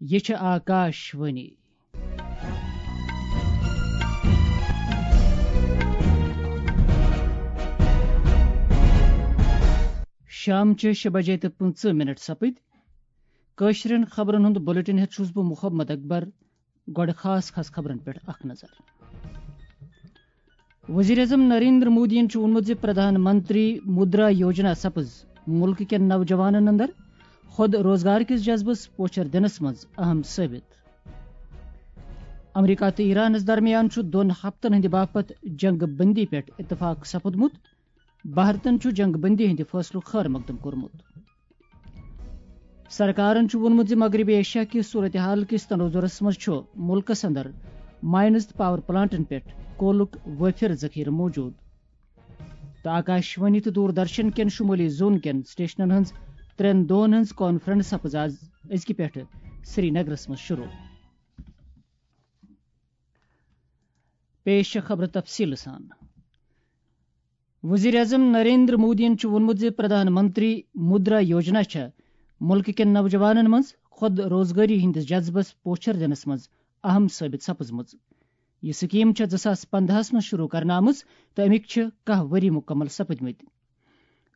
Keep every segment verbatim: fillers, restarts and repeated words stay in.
یہِ چھِ آکاش وانی۔ شام چہِ شےٚ بجے تہٕ پٕنٛژٕہ منٹ سپٕدۍ۔ کٲشرٮ۪ن خبرن ہُنٛد بلیٹن ہٮ۪تھ چھُس بہٕ محمد اکبر۔ گۄڈٕ خاص خاص خبرن پٮ۪ٹھ اکھ نظر۔ وزیر اعظم نریندر مودیَن چھُ ووٚنمُت زِ پردھان منتری مدرا یوجنا سپٕز مُلکہٕ کٮ۪ن نوجوانَن اندر خود روزگار کِس جذبس پوچھر دِنَس منٛز اہم ثٲبت۔ امریکہ تہٕ ایرانَس درمیان چھُ دۄن ہفتن ہٕنٛدِ باپتھ جنگ بندی پٮ۪ٹھ اتفاق سپُدمُت۔ بھارتن چھُ جنگ بندی ہٕنٛدِ فٲصلُک خٲر مقدم کوٚرمُت۔ سرکارن چھُ ووٚنمُت زِ مغربی ایشیا کِس صورتحال کِس تناظرس منٛز چھُ مُلکس اندر مائنز تہٕ پاور پلانٹن پٮ۪ٹھ کولُک وٲفر ذخیرٕ موجود۔ تہٕ آکاش وانی تہٕ دوردرشن کٮ۪ن شمٲلی زون کٮ۪ن سٹیشنن ہٕنٛز ترٛٮ۪ن دۄہن ہٕنٛز کانفرنس سپٕز آز أزکہِ پٮ۪ٹھٕ سرینگرس منٛز شروع۔ پیش چھےٚ خبرٕ تفصیٖلہٕ سان۔ وزیر اعظم نریندر مودیَن چھُ ووٚنمُت زِ پردھان منتری مدرا یوجنا چھےٚ مُلکہٕ کٮ۪ن نوجوانَن منٛز خود روزگٲری ہٕنٛدِس جذبس پوچھر دِنَس منٛز اہم ثٲبت سپٕزمٕژ۔ یہِ سکیٖم چھےٚ زٕ ساس پنٛداہَس منٛز شروع کرنہٕ آمٕژ تہٕ اَمِکۍ چھِ کاہ ؤری مُکمل سپٕدمٕتۍ۔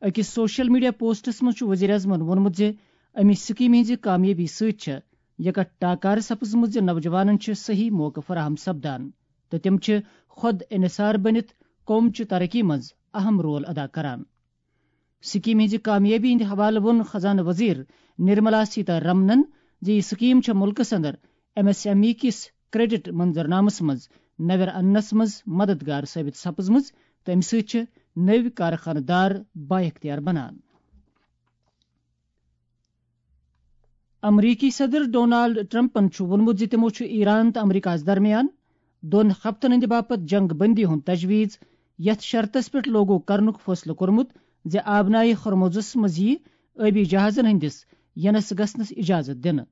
أکِس سوشل میڈیا پوسٹَس منٛز چھُ وزیر اعظمَن ووٚنمُت زِ اَمہِ سکیٖمہِ ہٕنٛزِ کامیٲبی سۭتۍ چھےٚ یکٹ ٹاکار سپٕزمٕژ زِ نوجوانَن چھِ صحیح موقعہٕ فراہم سپدان تہٕ تِم چھِ خود انحصار بٔنِتھ قوم چہِ ترقی منٛز اہم رول ادا کران۔ سکیٖم ہٕنٛزِ کامیٲبی ہٕنٛدِ حوالہٕ ووٚن خزانہٕ وزیر نرملا سیتا رمنن زِ یہِ سکیٖم چھےٚ مُلکَس اندر ایم ایس ایم ای کِس کریڈٹ منظرنامس منٛز نویر اننس منٛز مددگار ثٲبت سپٕزمٕژ تہٕ اَمہِ سۭتۍ چھِ نٔوۍ کارخانہٕ دار بااختیار بنان۔ امریکی صدر ڈونالڈ ٹرمپن چھُ ووٚنمُت زِ تِمو چھُ ایران تہٕ امریکہس درمیان دۄن ہفتن ہٕنٛدِ باپتھ جنگ بندی ہُنٛد تجویز یتھ شرطس پٮ۪ٹھ لاگو کرنُک فٲصلہٕ کوٚرمُت زِ آبنائے ہرمزس منٛز یِیہِ ٲبی جہازن ہٕنٛدِس یِنس گژھنس اجازت دِنہٕ۔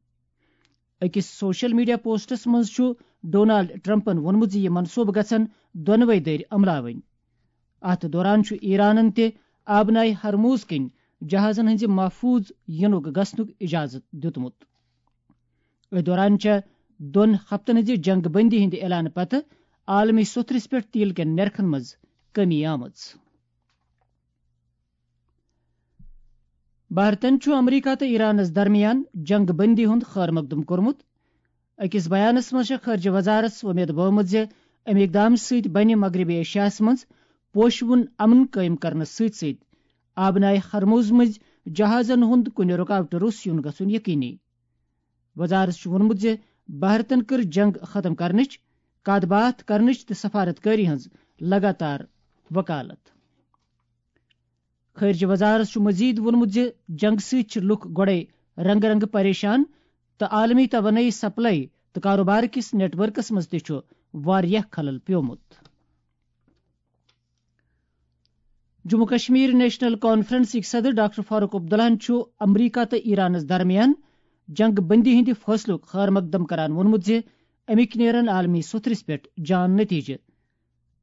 أکِس سوشل میڈیا پوسٹس منٛز چھُ ڈونالڈ ٹرمپن ووٚنمُت زِ یہِ منصوبہٕ گژھن دۄنوَے دٔرۍ عملاوٕنۍ۔ اتھ دوران چھُ ایرانن تہِ آبنائے ہرمز کِنۍ جہازن ہٕنٛزِ محفوظ یِنُک گژھنُک اجازت دیُتمُت۔ أتھۍ دوران چھےٚ دۄن ہفتن ہٕنٛزِ جنگ بندی ہٕنٛدِ اعلان پتہٕ عالمی سوٚتھرِس پٮ۪ٹھ تیل کٮ۪ن نرخن منٛز کمی آمٕژ۔ بھارتن چھُ امریکہ تہٕ ایرانس درمیان جنگ بندی ہُنٛد خٲر مقدم کوٚرمُت۔ أکِس بیانس منٛز چھےٚ خارجہ وزارت وۄمید بٲومٕژ زِ اَمہِ اقدام سۭتۍ بنہِ مغربی ایشیاہس منٛز پوشوُن امن قٲیِم کرنس سۭتۍ سۭتۍ آبنائے ہرمز مٔنٛزۍ جہازن ہُنٛد کُنہِ رُکاوٹہٕ روٚس یُن گژھُن یقینی۔ وزارت چھُ ووٚنمُت زِ بھارتن کٔر جنگ ختم کرنٕچ، کتھ باتھ کرنٕچ تہٕ سفارت کٲری ہٕنٛز لگاتار وکالت۔ خارجہ وزارت چھُ مزید ووٚنمُت زِ جنگ سۭتۍ چھِ لُکھ گۄڈے رنگہٕ رنگہٕ پریشان تہٕ عالمی توانٲیی سپلائی تہٕ کاروبار کِس نیٹ ورکس منٛز تہِ چھُ واریاہ خلل پیومُت۔ جموں کشمیر نیشنل کانفرنسٕکۍ صدر ڈاکٹر فاروق عبداللہَن چھُ امریکہ تہٕ ایرانَس درمیان جنگ بندی ہٕنٛدِ فٲصلُک خٲر مقدم کران ووٚنمُت زِ اَمِکۍ نیرن عالمی سوٚتھرِس پٮ۪ٹھ جان نتیجہٕ۔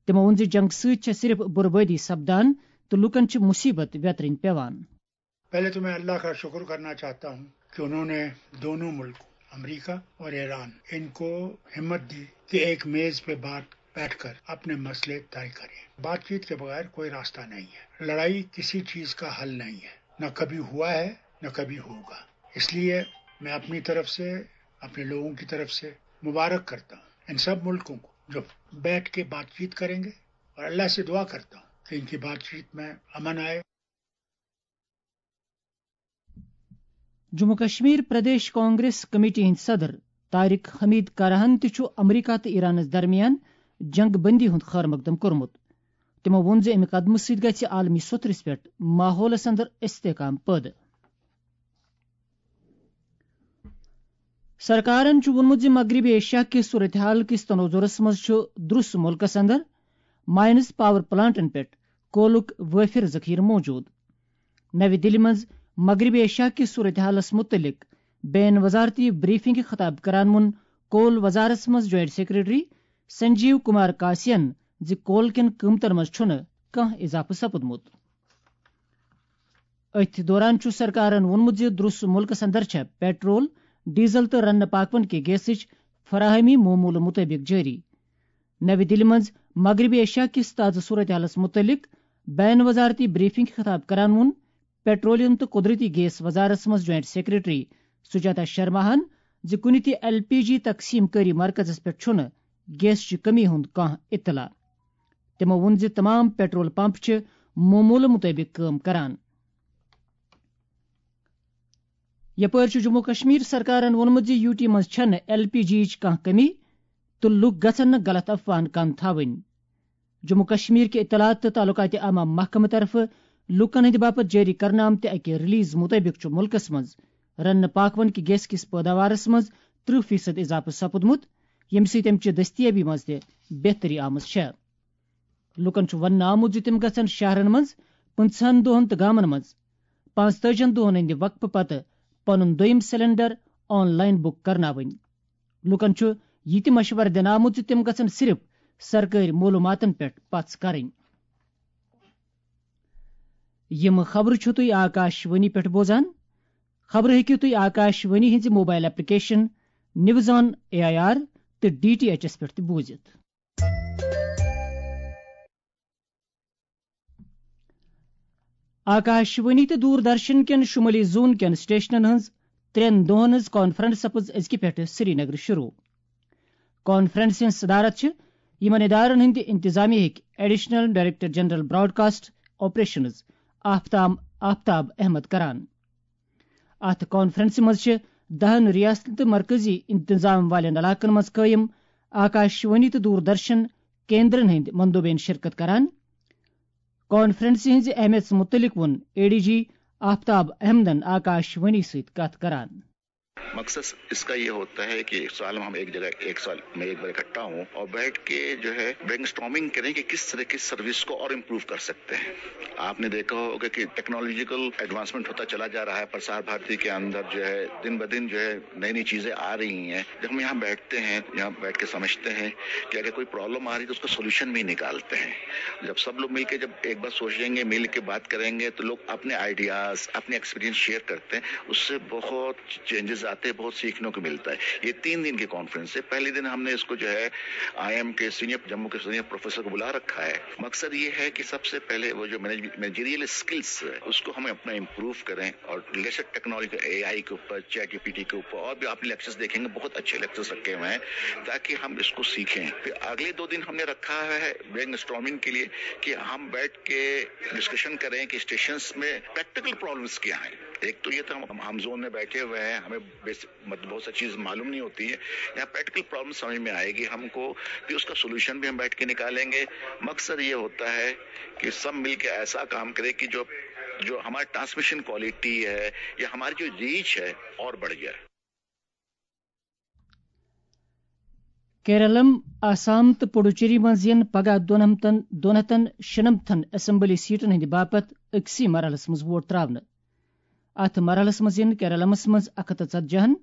تِمو ووٚن زِ جنگ سۭتۍ چھےٚ صرف بربٲدی سپدان تہٕ لوٗکَن چھِ مُصیبت ویترٕنۍ پٮ۪وان۔ پہلے تو میں اللہ کا شکر کرنا چاہتا ہوں کہ انہوں نے دونوں ملکوں، امریکہ اور ایران، ان کو ہمت دی کہ ایک میز پہ بات، بیٹھ کر اپنے مسئلے طے کریں۔ بات چیت کے بغیر کوئی راستہ نہیں ہے۔ لڑائی کسی چیز کا حل نہیں ہے، نہ کبھی ہوا ہے، نہ کبھی ہوگا۔ اس لیے میں اپنی طرف سے اپنے لوگوں کی طرف سے مبارک کرتا ہوں ان سب ملکوں کو، جو بیٹھ کے بات چیت کریں گے، اور اللہ سے دعا کرتا ہوں کہ ان کی بات چیت میں امن آئے۔ جموں کشمیر پردیش کانگریس کمیٹی ہٕنٛدۍ صدر طارق حمید کراہن تہِ چھُ امریکہ تہٕ ایرانس درمیان جنگ بندی ہُنٛد خٲر مقدم کوٚرمُت۔ تِمو ووٚن زِ اَمہِ قدمہٕ سۭتۍ گژھِ عالمی سوٚتھرِس پٮ۪ٹھ ماحولس اندر استحکام پٲدٕ۔ سرکارن چھُ ووٚنمُت زِ مغربی ایشیا کِس صورتحال کِس تناظرس منٛز چھُ درُس مُلکس اندر مائنز پاور پلانٹن پٮ۪ٹھ کولُک وٲفر ذخیرٕ موجود۔ نَوِ دِلہِ منٛز مغربی ایشیا کِس صورتحالس مُتعلق بین وزارتی بریفنگ خطاب کران ووٚن کول وزارتس منٛز جوائنٹ سیکرٹری سنجیو کمار کاسین زِ کول کٮ۪ن قۭمتن منٛز چھُنہٕ کانٛہہ اضافہٕ سپُدمُت۔ أتھۍ دوران چھُ سرکارن ووٚنمُت زِ درُس مُلکس اندر چھےٚ پیٹرول، ڈیزل تہٕ رننہٕ پاکوَن کہِ گیسٕچ فراہمی معمولہٕ مُطٲبِق جٲری۔ نَوِ دِلہِ منٛز مغربی ایشیا کِس تازٕ صورتحالَس مُتعلِق بین وزارتی بریفنگ خطاب کران ووٚن پیٹرولیم تہٕ قدرتی گیس وزارتس منٛز جوائنٹ سیکرٹری سجاتا شرماہن زِ کُنہِ تہِ ایل پی جی تقسیم کٲری مرکزس پٮ۪ٹھ چھُنہٕ گیسچہِ کمی ہُنٛد کانٛہہ اطلاع۔ تِمو ووٚن زِ تمام پیٹرول پمپ چھِ معمولہٕ مُطٲبِق کٲم کران۔ یپٲرۍ چھُ جموں کشمیر سرکارن ووٚنمُت زِ یو ٹی منٛز چھنہٕ ایل پی جی یِچ کانٛہہ کمی تہٕ لوٗکھ گژھن نہٕ غلط افواہن کن تھاوٕنۍ۔ جموں کشمیر کہِ اطلاعات تہٕ تعلقات عامہ محکمہٕ طرفہٕ لوٗکن ہٕنٛدِ باپتھ جٲری کرنہٕ آمتہِ اکہِ ریلیز مُطٲبِق چھُ مُلکس منٛز رننہٕ پاکوَن کہِ گیس کِس پٲداوارس منٛز ترٕہ فیصد اضافہٕ سپُدمُت، ییٚمہِ سۭتۍ اَمہِ چہِ دٔستیٲبی منٛز تہِ بہتری آمٕژ چھےٚ۔ لوٗکن چھُ وننہٕ آمُت زِ تِم گژھن شہرن منٛز پٕنٛژٕہن دۄہن تہٕ گامن منٛز پانٛژتٲجِہن دۄہن ہٕنٛدِ وقفہٕ پتہٕ پنُن دوٚیِم سلنڈر آن لائن بُک کرناوٕنۍ۔ لوٗکن چھُ یہِ تہِ مشورٕ دِنہٕ آمُت زِ تِم گژھن صرف سرکٲرۍ معلوٗماتن پٮ۪ٹھ پژھ کرٕنۍ۔ یِم خبرٕ چھِو تُہۍ آکاش وانی پٮ۪ٹھ بوزان۔ خبرٕ ہیٚکِو تُہۍ آکاش وانی ہٕنٛزِ mobile application news on A I R تہٕ ڈی ٹی ایچ ایس پٮ۪ٹھ تہِ بوٗزِتھ۔ آکاش وانی تہٕ دوردرشن کٮ۪ن شمٲلی زون کٮ۪ن سٹیشنن ہٕنٛز ترٛٮ۪ن دۄہن ہٕنٛز کانفرنس سپٕز أزکہِ پٮ۪ٹھٕ سری نگر شروع۔ کانفرنس ہٕنٛز صدارت چھِ یِمن ادارن ہٕنٛدِ انتظامیہ ہٕکۍ additional director general broadcast operations Aftab, Aftab Ahmad کران۔ اتھ کانفرنسہِ منٛز چھِ دَہن ریاستن تہٕ مرکزی انتظام والٮ۪ن علاقن منٛز قٲیِم آکاش وانی تہٕ دوردرشن کیندرن ہٕنٛدۍ مندوبین شرکت کران۔ کانفرنسہِ ہٕنٛزِ اہمیتس مُتعلق ووٚن اے ڈی جی آفتاب احمدن آکاش وانی سۭتۍ کتھ کران۔ مقصد اس کا یہ ہوتا ہے کہ سال میں ہم ایک جگہ، ایک سال میں ایک بار اکٹھا ہوں اور بیٹھ کے جو ہے برین اسٹارمنگ کریں کہ کس طرح کی سروس کو اور امپروو کر سکتے ہیں۔ آپ نے دیکھا ہوگا کہ ٹیکنالوجیکل ایڈوانسمنٹ ہوتا چلا جا رہا ہے، پرسار بھارتی کے اندر جو ہے دن بدن جو ہے نئی نئی چیزیں آ رہی ہیں۔ جب ہم یہاں بیٹھتے ہیں، یہاں بیٹھ کے سمجھتے ہیں کہ اگر کوئی پرابلم آ رہی ہے تو اس کا سولوشن بھی نکالتے ہیں۔ جب سب لوگ مل کے، جب ایک بار سوچیں گے، مل کے بات کریں گے، تو لوگ اپنے آئیڈیاز، اپنے ایکسپیرینس شیئر کرتے ہیں، اس سے بہت چینجز آتے ہیں، بہت سیکھنے کو ملتا ہے۔ یہ تین دن کی کانفرنس ہے۔ پہلے دن ہم نے اس کو جو ہے آئی ایم کے سینئر، جموں کے سینئر پروفیسر کو بلا رکھا ہے۔ مقصد یہ ہے کہ سب سے پہلے وہ جو مینیجریل اسکلس ہے، اس کو ہم اپنا امپروو کریں اور لیٹسٹ ٹیکنالوجی، اے آئی کے اوپر، چیٹ جی پی ٹی کے اوپر، اور بھی آپ لیکچرز دیکھیں گے، بہت اچھے لیکچرز رکھے ہوئے ہیں، تاکہ ہم اس کو سیکھیں۔ پھر اگلے دو دن ہم نے رکھا ہے برین اسٹارمنگ کے لیے کہ ہم بیٹھ کے ڈسکشن کریں کہ اسٹیشنز میں پریکٹیکل پرابلمس کیا ہیں۔ ایک تو یہ تو ہم، ہم زون میں بیٹھے ہوئے ہیں، ہمیں بیسک، مطلب، بہت ساری چیز معلوم نہیں ہوتی ہے۔ یہاں پریکٹیکل پرابلم سمجھ میں آئے گی ہم کو، پھر اس کا سولوشن بھی ہم بیٹھ کے نکالیں گے۔ مقصد یہ ہوتا ہے کہ سب مل کے ایسا کام کرے کہ جو، جو ہماری ٹرانسمیشن کوالٹی ہے یا ہماری جو ریچ ہے، اور بڑھ جائے۔ کیرلم، آسام تہٕ پڈوچیری منٛز یِن پگاہ دۄن ہتن، دۄن ہتن شُنمتھن اسمبلی سیٹن ہٕنٛدِ باپتھ أکسٕے مرحلس منٛز ووٹ تراونہٕ۔ اتھ مرحلس منٛز یِن کیرلمس منٛز اکھ ہتھ تہٕ ژتجی ہن،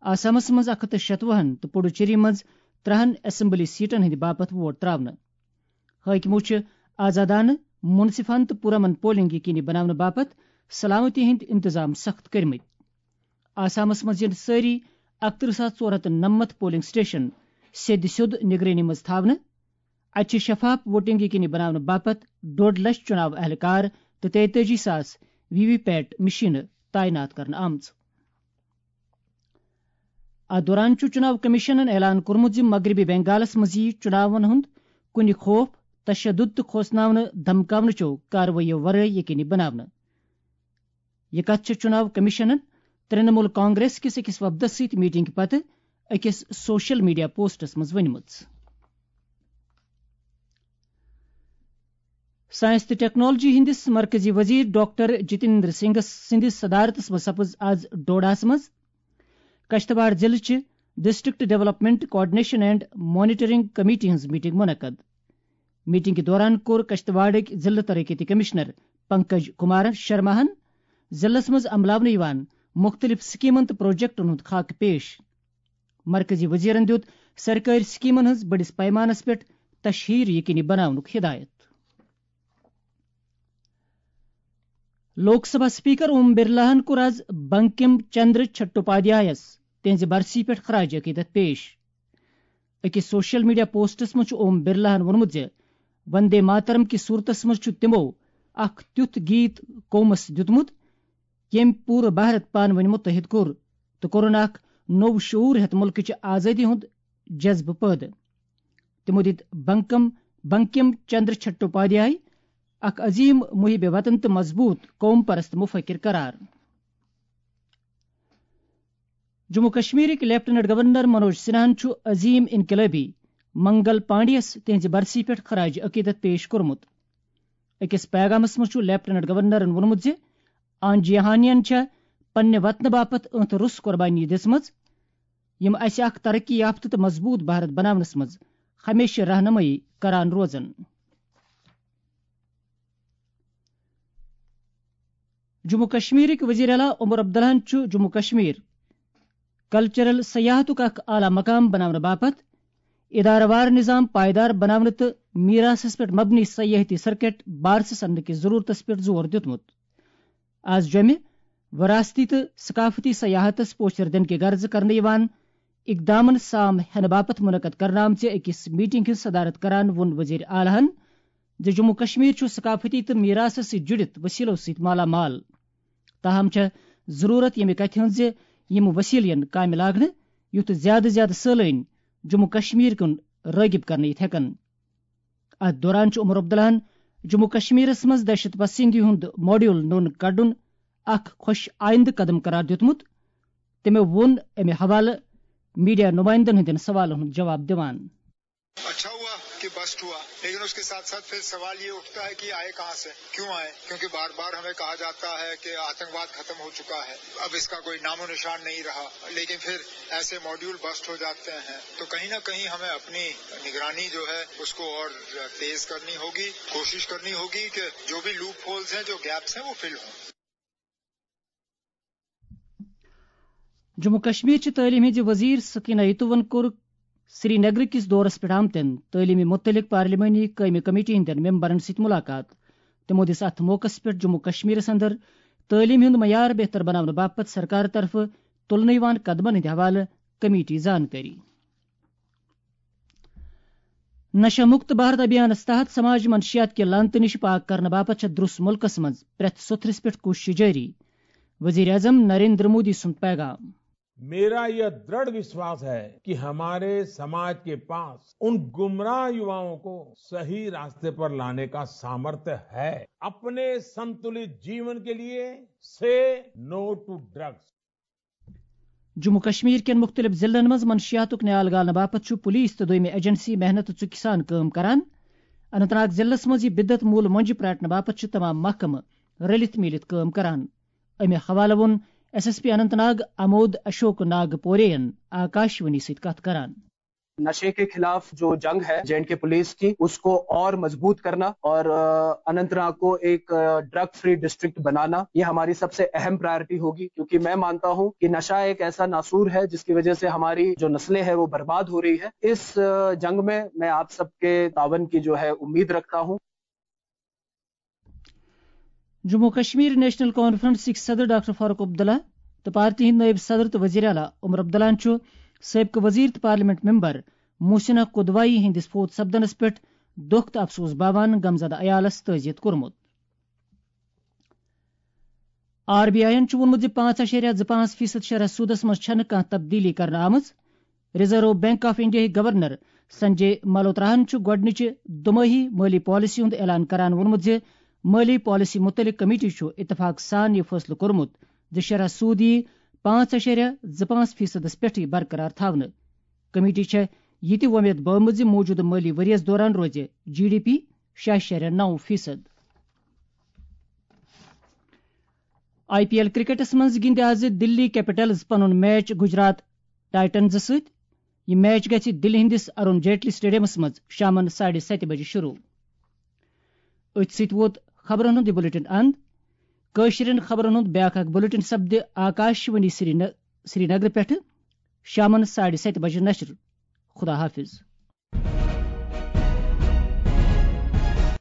آسامس منٛز اکھ ہتھ تہٕ شتوُہن تہٕ پڈوچیری منٛز ترٛہن اسمبلی سیٹن ہٕنٛدِ باپتھ ووٹ تراونہٕ۔ حٲکمو چھِ آزادانہٕ، منصفانہٕ تہٕ پُرامن پولنگ یقینی بناونہٕ باپتھ سلامتی ہٕنٛدۍ انتظام سخت کٔرمٕتۍ۔ آسامس منٛز یِن سٲری اکترٕہ ساس ژور ہتھ تہٕ نَمَتھ پولنگ سٹیشن سیٚدِ سیوٚد نگرٲنی منٛز تھاونہٕ۔ اتہِ چھِ شفاف ووٹنگ یقینی بناونہٕ باپتھ ڈوٚڈ لچھ چُناو اہلکار تہٕ تیتٲجی ساس وی وی پیٹ مشینہٕ تعینات کرنہٕ آمژٕ۔ اتھ دوران چھُ چُناو کمیشنن اعلان کوٚرمُت زِ مغربی بنگالس منٛز یِیہِ چُناون ہُنٛد کُنہِ خوف، تشدد تہٕ کھوژناونہٕ دھمکاونہٕ چٮ۪و کاروٲیی ورٲے یقینی بناونہٕ۔ یہِ کتھ چھےٚ چُناو کمیشنن ترٛنمول کانگریس کِس أکِس وفدس سۭتۍ میٹنگ پتہٕ أکِس سوشل میڈیا پوسٹس منٛز ؤنمٕژ۔ ساینس تہٕ ٹیکنالوجی ہٕنٛدِس مرکزی وزیر ڈاکٹر جتیندر سنگھ سٕنٛدِس صدارتس منٛز سپٕز آز ڈوڈاہس منٛز کشتواڑ ضلعہٕ چہِ district development coordination and monitoring committee ہٕنٛز میٹنگ منعقد۔ میٹنگہِ دوران کوٚر کشتواڑٕکۍ ضلعہٕ ترقیتی کمشنر پنکج کمار شرماہن ضلعس منٛز عملاونہٕ یِوان مُختٔلِف سکیمن تہٕ پروجیکٹن ہُنٛد خاکہٕ پیش۔ مرکزی وزیرن دِیُت سرکٲرۍ سکیمن ہٕنٛز بٔڑِس پیمانس پٮ۪ٹھ تشہیر یقینی بناونُک ہدایت۔ لوک سبھا اسپیکر اوم برلاہن کوٚر آز بنکم چندر چٹوپادھیایس تہنٛزِ برسی پٮ۪ٹھ خراج عقیدت پیش۔ أکِس سوشل میڈیا پوسٹس منٛز چھُ اوم برلاہن ووٚنمُت زِ وندے ماترم کِس صورتس منٛز چھُ تِمو اکھ تیُتھ گیت قومس دیُتمُت، ییٚمۍ پوٗرٕ بھارت پانہٕ ؤنۍ متحد کوٚر تہٕ کوٚرُن اکھ نوٚو شعور ہیتھ مُلکٕچ آزٲدی ہُنٛد جذبہٕ پٲدٕ۔ تِمو دِتۍ بنکم، بنکم چندر چٹوپادھیائے، اکھ عظیم محب وطن تہٕ مضبوط قوم پرست مفکر قرار۔ جموں کشمیرٕکۍ لیفٹیننٹ گورنر منوج سنہاہن چھُ عظیم انقلٲبی منگل پانڈیَس تِہنٛزِ برسی پٮ۪ٹھ خراج عقیدت پیش کوٚرمُت۔ أکِس پیغامس منٛز چھُ لیفٹیننٹ گورنرن ووٚنمُت زِ آن جیہانین چھےٚ پننہِ وطنہٕ باپتھ أنٛت روٚس قۄربانی دِژمٕژ، یِم اسہِ اکھ ترقی یافتہٕ تہٕ مضبوط بھارت بناونس منٛز ہمیشہٕ رہنمٲیی کران روزن۔ جموں کشمیرٕکۍ وزیر اعلیٰ عمر عبداللہن چھُ جموں کشمیر کلچرل سیاحتُک اکھ اعلیٰ مقام بناونہٕ باپتھ ادارٕ وار نظام پائیدار بناونہٕ تہٕ میراثس پٮ۪ٹھ مبنی سیاحتی سرکٹ بارسس اننہٕ کِس ضرورتس پٮ۪ٹھ زور دیُتمُت۔ آز جمعہ وراثتی تہٕ ثقافتی سیاحتس پوچھر دِنہٕ کہِ غرضہٕ کرنہٕ یِوان اقدامن سام ہینہٕ باپتھ منعقد کرنہٕ آمژِ أکِس میٹنگ ہٕنٛز صدارت کران ووٚن وزیر اعلیٰ ہن زِ جموں کشمیر چھُ ثقافتی تہٕ میراثس سۭتۍ جُڑِتھ وسیلو سۭتۍ مالا مال۔ تاہم چھےٚ ضرورت ییٚمہِ کتھِ ہٕنٛز زِ یِم وسیلہٕ یِن کامہِ لاگنہٕ، یُتھ زیادٕ زیادٕ سٲلٲنۍ جموں کشمیر کُن رٲغب کرنہٕ یِتھ ہٮ۪کن۔ اتھ دوران چھُ عمر عبداللہن جموں کشمیرس منٛز دہشت پسندی ہُنٛد ماڈیول نوٚن کڑُن اکھ خۄش آیندٕ قدم قرار دیُتمُت۔ تٔمۍ ووٚن امہِ حوالہٕ میڈیا نمائندن ہٕنٛدٮ۪ن سوالن ہُنٛد جواب دِوان۔ اچھا ہوا کہ بسٹ ہوا، لیکن اس کے ساتھ ساتھ پھر سوال یہ اٹھتا ہے کہ آئے کہاں سے، کیوں آئے؟ کیونکہ بار بار ہمیں کہا جاتا ہے کہ آتنکواد ختم ہو چکا ہے، اب اس کا کوئی نام و نشان نہیں رہا، لیکن پھر ایسے ماڈیول بسٹ ہو جاتے ہیں، تو کہیں نہ کہیں ہمیں اپنی نگرانی جو ہے اس کو اور تیز کرنی ہوگی، کوشش کرنی ہوگی کہ جو بھی لوپ ہولز ہیں، جو گیپس ہیں، وہ فل ہوں۔ جموں کشمیر چہِ تعلیٖم ہٕنٛزِ وزیر سکینہ یتوَن کوٚر سری نگر کِس دورس پٮ۪ٹھ آمتٮ۪ن تعلیٖمہِ مُتعلق پارلیمانی قٲیمہِ کمیٹی ہٕنٛدٮ۪ن ممبرن سۭتۍ مُلاقات۔ تِمو دِژ اتھ موقعس پٮ۪ٹھ جموں کشمیرس اندر تعلیٖم ہُنٛد معیار بہتر بناونہٕ باپتھ سرکار طرفہٕ تُلنہٕ یِوان قدمن ہٕنٛدِ حوالہٕ کمیٹی زانکٲری۔ نشہ مکت بھارت ابھیانس تحت سماج منشیات کہِ لعنتہٕ نِش پاک کرنہٕ باپتھ چھےٚ درُس مُلکس منٛز پرٛٮ۪تھ سوٚتھرِس پٮ۪ٹھ کوٗشش جٲری۔ وزیر اعظم نریندر مودی سُنٛد پیغام۔ میرا یہ دڑھ وشواس ہے کہ ہمارے سماج کے پاس ان گمراہ یواؤں کو صحیح راستے پر لانے کا سامرتھ ہے۔ اپنے संतुलित जीवन के लिए say no to drugs। Jammu Kashmir کٮ۪ن مُختٔلِف ضلعن منٛز منشیاتُک نیال گالنہٕ باپتھ چھُ پولیس تہٕ دوٚیمہِ ایجنسی محنت ژُکہِ سان کٲم کران۔ اننت ناگ ضلعس منٛز یہِ بدعت موٗل مۄنجہِ پرٛاٹنہٕ باپتھ چھِ تمام محکمہٕ رٔلِتھ میٖلِتھ کٲم کران۔ امہِ حوالہٕ ووٚن S S P Anant Nag امود Ashok ناگ پورے ین آکاشوانی سۭتۍ کتھ کران۔ نشے کے خلاف جو جنگ ہے جے اینڈ کے پولیس کی، اس کو اور مضبوط کرنا اور اننت ناگ کو ایک ڈرگ فری ڈسٹرکٹ بنانا، یہ ہماری سب سے اہم پرائرٹی ہوگی، کیونکہ میں مانتا ہوں کہ نشہ ایک ایسا ناسور ہے جس کی وجہ سے ہماری جو نسلیں ہیں وہ برباد ہو رہی ہے۔ اس جنگ میں میں آپ سب کے تعاون کی جو ہے امید رکھتا ہوں۔ جموں کشمیر نیشنل کانفرنسٕکۍ صدر ڈاکٹر فاروق عبداللہ تہٕ پارٹی ہٕنٛدۍ نٲیِب صدر تہٕ وزیر اعلیٰ عمر عبداللہن چھُ سٲبقہٕ وزیر تہٕ پارلیمنٹ ممبر محسنہ قدوایی ہٕنٛدِس فوت سپدنس پٮ۪ٹھ دۄکھ تہٕ افسوس باوان غمزدہ عیالس تعزیت کوٚرمُت۔ آر بی آئی یَن چھُ ووٚنمُت زِ پانٛژھ اَشاریہ زٕ پانٛژھ فیصد شرح سودس منٛز چھَنہٕ کانٛہہ تبدیلی کرنہٕ آمٕژ۔ ریزرو بینک آف انڈیاہٕکۍ گورنر سنجے ملہوتراہَن چھُ گۄڈٕنِچہِ دۄمٲہی مٲلی پالیسی ہُنٛد اعلان کران ووٚنمُت زِ مٲلی پالیسی مُتعلق کمیٹی چھُ اتفاق سان یہِ فٲصلہٕ کوٚرمُت زِ شرح سود یِیہِ پانٛژھ اَشاریہ زٕ پانٛژھ فیصدس پٮ۪ٹھٕے برقرار تھاونہٕ۔ کمیٹی چھےٚ یہِ تہِ وۄمید بٲومٕژ زِ موٗجوٗدٕ مٲلی ؤریَس دوران روزِ جی ڈی پی شےٚ اَشاریہ نَو فیصد۔ آئی پی ایل کرکٹس منٛز گِنٛدِ آز دِلی کیپٹلز پنُن میچ گجرات ٹائٹنزس سۭتۍ۔ یہِ میچ گژھِ دِلہِ ہٕنٛدِس ارون جیٹلی سٹیڈیمس منٛز شامن ساڑِ ستہِ بجہِ شروع۔ أتھۍ سۭتۍ ووت خبرن ہُنٛد یہِ بلیٹن اند۔ کٲشرٮ۪ن خبرن ہُنٛد بیٛاکھ اکھ بلیٹن سپدِ آکاشوانی سری ن-، سرینگرٕ پٮ۪ٹھٕ شامن ساڑِ ستہِ بجہِ نشر۔ خدا حافظ۔